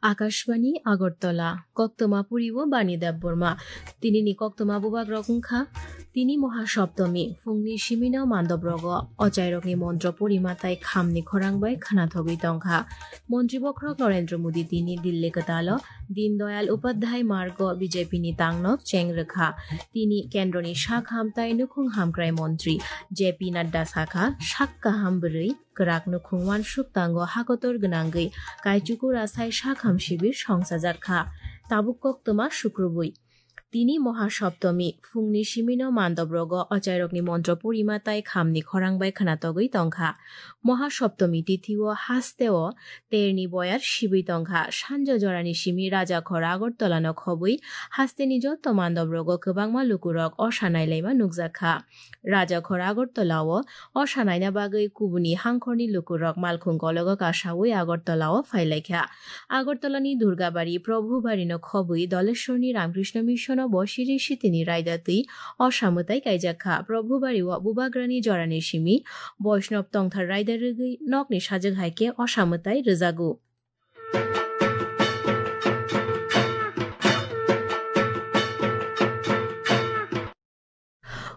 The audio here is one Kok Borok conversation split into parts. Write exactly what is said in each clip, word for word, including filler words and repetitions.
Akashbani Agartala, koktwma puri o Bani Debbarma. Tini ni koktwma bubagrok wngkha, tini Mohasoptomi, phungni simino mandop rogo, ochairokni montro purima tai khamni khorang bai khwnathogwi tongkha. Montri bokhorok Narendra Modi tini Dilli kwtalo Deen Dayal Upadhyay Margo B J P ni tangnok cheng rwkha. Tini kendroni sak hamtai nukhung hamkrai montri J P Nadda sakha, sak kaham bwrwi kwrak nukhung uansuk tango hakotor gwnangwi kaichuku rasai sakham sibir songsajak kha. Tabuk koktwma sukrubwi. Tini Mohasoptomi, phungni simino mandop rogo ochairokni montro purima tai khamni khorang bai khwnatogwi tongkha. Mohasoptomi tithio hasteo terni boyar sibwi tongkha. Sanjo jorani simi Rajakhor Agartala no khobwi hasteni joto mandop rogo kwbangma lukurok osa nailaima nukjak kha. Rajakhor Agartala o osa naina bagwi kubuni hangkhorni lukurok malkhung kologo kasawi Agartala o phailaikha. Agartala ni Durgabari, Prabhubari no khobwi Doleshwar ni Ramkrishna Mission o bo siri sitini raida twi osa mwtai kaijak kha. Prabhubari o bubagrani jorani simi Boishnab tongthar raida rwgwi nokni sajwk hai khe osa mwtai rwjago.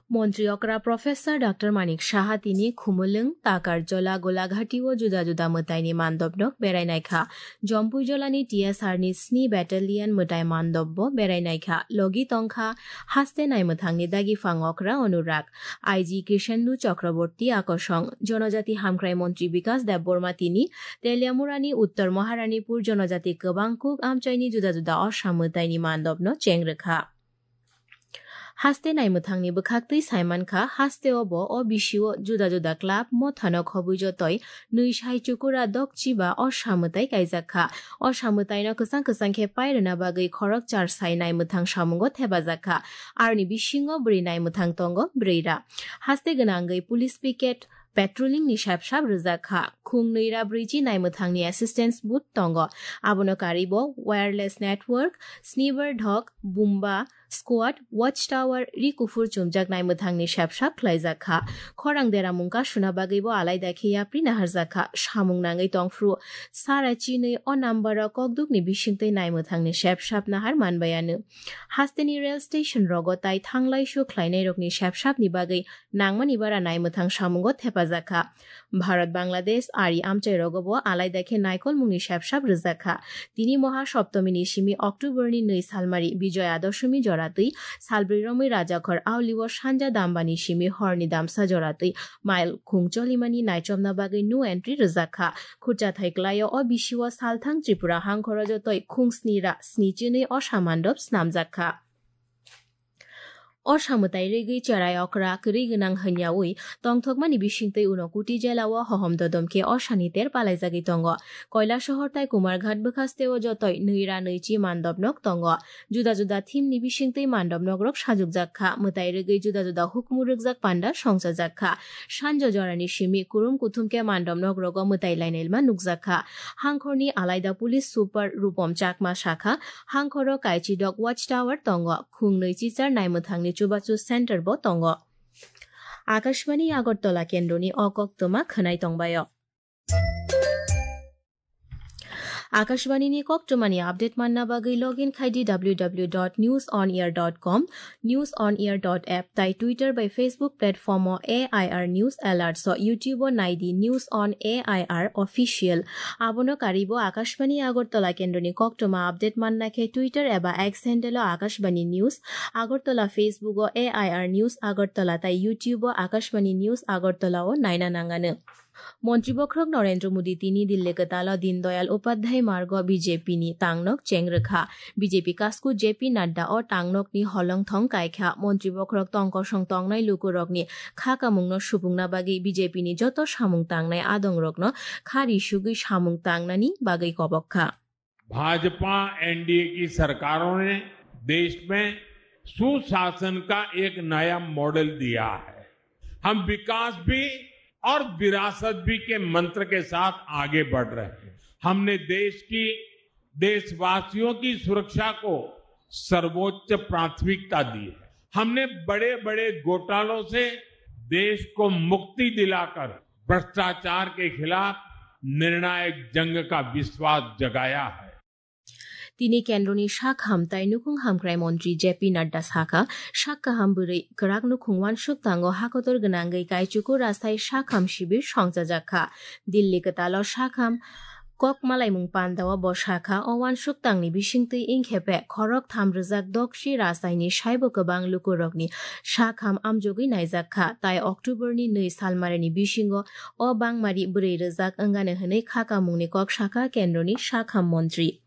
Montri okra Professor Doctor Manik Saha tini Khumulwng, Takarjola, Golaghati o juda juda mwtaini mandopnok berai naikha. Jompuijolani T S R ni sni Battalion mwtai mandopbo berai naikha. Logi tongkha haste naimwthangni dagi phang okra Anurag, I G Krishendu Chakraborty akosong, Jonojati Hamkrai Montri Bikas Debbarma tini Teliamurani Uttor Maharanipur Jonojati Kwbangkuk amchaini juda juda osa mwtaini mandopno cheng rwkha. Haste naimwthangni bwkhaktwi saimankha, hasteo bo o bisio juda juda club, mothano khobwi jotoi nwi sai chukura dokchi ba osa mwtai kaijak kha. Osa mwtaino kwchang kwchang khe pairwna bagwi khorokchar sai naimwthang samungo thepajak kha. Aroni bisingo bwrwi naimwthang tongo brwi ra. Haste gwnangwi police picket, patrolling ni sep sap rwjak kha. Khung nwi ra brwichi naimwthangni assistance booth tongo. Abono karwi bo wireless network, sniper dhok, bumba, squad, watch tower, ri kuphur chumjak naimwthangni sep sap khlaijak kha. Khorang dera mungka suna bagwi bo alaida khe yapri naharjak kha. Samung nangwi tongphru sara chinwi o number o kokdukni bisingtwi naimwthangni sep sap nahar manbai ano. Hasteni rail station rogo tai thanglai su khlainai rokni sep sapni bagwi nangmani bara naimwthang samungo thepajak kha. Bharat Bangladesh ari amchai rogo bo alaida khe naikolmungni sep sap rwjak kha. Tini Moha Soptomini simi October ni nwi salmari Bijoya Doshami joratwi salbrwi romwi Rajakhor Auli o sanja dambani simi horni damsa joratwi mail khung cholimani naichomna bagwi no entry rwjak kha. Khurchathai klaio o bisio salthang Tripura hangkhoro jotoi khung sni ra sni chinwi osa mandop snamjak kha. Osa mwtai rwgwi cherai okra kwrwi gwnang hwnyaui tongthokmani bisingtwi uno Kuti jela o hohom dodom khe osani ter palaijagwi tongo. Koilasohor tai Kumarghat bwkhaste o jotoi nwi ra nwi chi mandopnok tongo. Juda juda theme ni bisingtwi mandopnok rok sajukjak kha. Mwtai rwgwi juda juda hukumu rwkjak panda songchajak kha. Sanjo jorani simi kurum kuthum khe mandopnok rogo mwtai lainailma nukjak kha. Hangkhorni alaida police super Rupom Chakma sakha, hangkhoro Kaichidok Watch Tower tongo, khungnwi chichar naimwthangni chubachu center bo tongo. Akashbani Agartala kendroni o koktwma khwnai tongbaio. Akashbani ni koktwmani update manna bagwi login khai di w w w dot news on air dot com, news on air dot app tai Twitter bai Facebook platform o A I R News Alerts o, YouTube o nai di News on A I R Official. Abono karwi bo Akashbani Agartala kendroni koktwma update manna khe Twitter eba X handle o Akashbani News Agartala, Facebook o A I R News Agartala tai YouTube o Akashbani News Agartala o naina nangano. Montri bokhorok Narendra Modi tini Dilli kwtalo Deen Dayal Upadhyay Margo B J P ni tangnok cheng rwkha. B J P kasku J P Nadda o tangnokni holongthong kaikha. Montri bokhorok tongkosong tongnai lukurokni kha kamungno supungna bagwi B J P ni joto samung tangnai adongrokno kha risugwi samung tangnani bagwi kobok kha. Bhajpa NDA की सरकारों ने देश में सुशासन का एक नया मॉडल दिया है। हम विकास भी और विरासत भी के मंत्र के साथ आगे बढ़ रहे हैं। हमने देश की, देशवासियों की सुरक्षा को सर्वोच्च प्राथमिकता दी है। हमने बड़े बड़े घोटालों से देश को मुक्ति दिलाकर भ्रष्टाचार के खिलाफ निर्णायक जंग का विश्वास जगाया है। Tini kendroni sak ham tai nukhung hamkrai montri J P Nadda sakha, sak kaham bwrwi kwrak nukhung wansuk tango hakotor gwnangwi kaichuku rasai sak ham shibir songchajak kha. Dilli kwtalo sak ham kok malaimung pandao bo sakha, o wansuk tangni bisingtwi ingkhe be khorok tham rwjak dokchi rasaini saibo kwbang lukurokni sak ham amjogwi naijak kha, tai October ni nwi salmarini bisingo o bangmari bwrwi rwjak wngani hwnwi khakamungni kok sakha kendroni sak ham montri.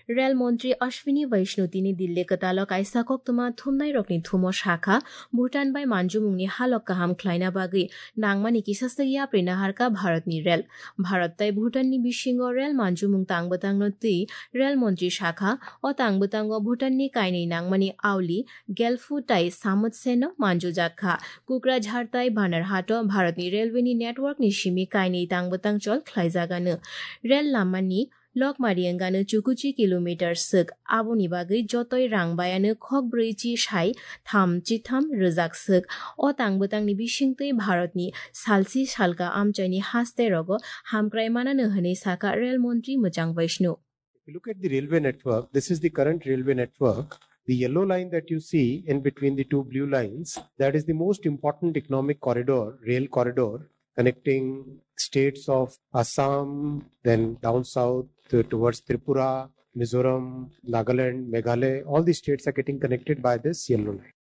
Rel montri Ashwini Vaishnu tini Dilli kwtalo kaisa koktwma thumnairokni thumo sakha, Bhutan bai manjumungni halok kaham khlaina bagwi nangmani kisa swk yapri naharkha Bharatni rel. Bharat tai Bhutanni bisingo rel manjumung tangbwtangno twi rel montri sakha, o tangbwtango Bhutanni kainwi nangmani auli Gelphu tai Samutseno manjujak kha. Kokrajhar tai Banarhato Bharatni railway ni network ni simi kainwi tangbwtang chol khlaijagano. Rel lamani lokmari wngano chukuchi kilometer swk, aboni bagwi jotoi rang bayano khok brwi chi sai tham chitham rwjak swk. O tangbwtangni bisingtwi Bharatni salsi salka amchaini haste rogo hamkrai manano hwnwi sakha rel montri mwchang Vaishnu. If you look at the railway network, this is the current railway network. The yellow line that you see in between the two blue lines, that is the most important economic corridor, rail corridor, connecting states of Assam, then down south to, towards Tripura, Mizoram, Nagaland, Meghalaya, all these states are getting connected by this yellow line.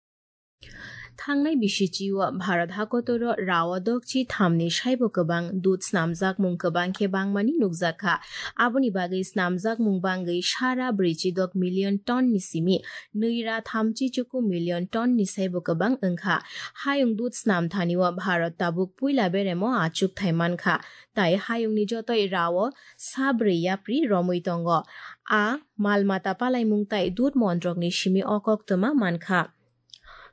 Thangnai bisichio Bharat hakotoro rao dokchi thamni saibo kwbang dud snamjakmung kwbang khe bangmani nukjakha. Aboni bagwi snamjakmung bangwi sara brwichi dok million ton ni simi nwi ra thamchi chuku million ton ni saibo kwbang wngkha. Hayung dud snamthanio Bharat tabuk puila beremo achukthai mankha. Tai hayungni jotoi rao sa brwi yapri romwi tongo. A mal mata palaimung tai dud montrokni simi o koktwma mankha.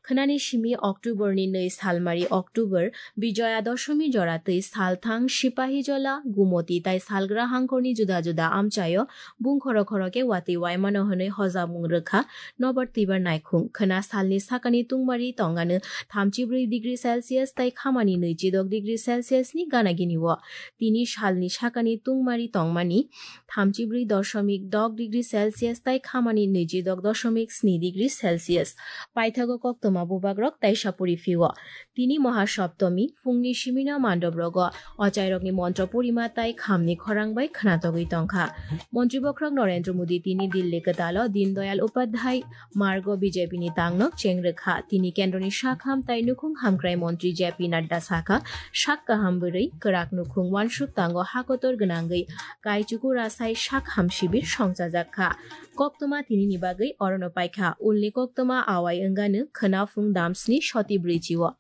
Khwnani simi October ni nwi salmari October Bijoya Doshami jora twi salthang Sipahijola, Gumoti tai salgra hangkhorni juda juda amchaio bungkhoro khoro khe watwi waimano hwnwi hojagmung rwkha nobar twibar naikhung. Khwna salni sakani tungmari tongano thamchi brwi degree Celsius tai khamani nwichi dok degree Celsius ni gana gini o. Tini salni sakani tungmari tongmani thamchi brwi doshomik dok degree Celsius tai khamani nwichi dok doshomik sni degree Celsius. Paithago koktwma bubagrok taisa puri phio. Tini Mahasoptomi, phungni simino mandop rogo ochairokni montro purima tai khamni khorang bai khwnatogwi tongkha. Montri bokhorok Narendra Modi tini Dilli kwtalo Deen Dayal Upadhyay Margo B J P ni tangno chengrwkha. Tini kendroni sak ham tai nukhung hamkrai montri J P Nadda sakha, sak kaham bwrwi kwrak nukhung wansuk tango hakotor gwnangwi kaichuku rasai sak ham shibir songchajak kha. Koktwma tinini bagwi orono paikha. Ulni koktwma awai wngano khwna phung damsni soti brwichio.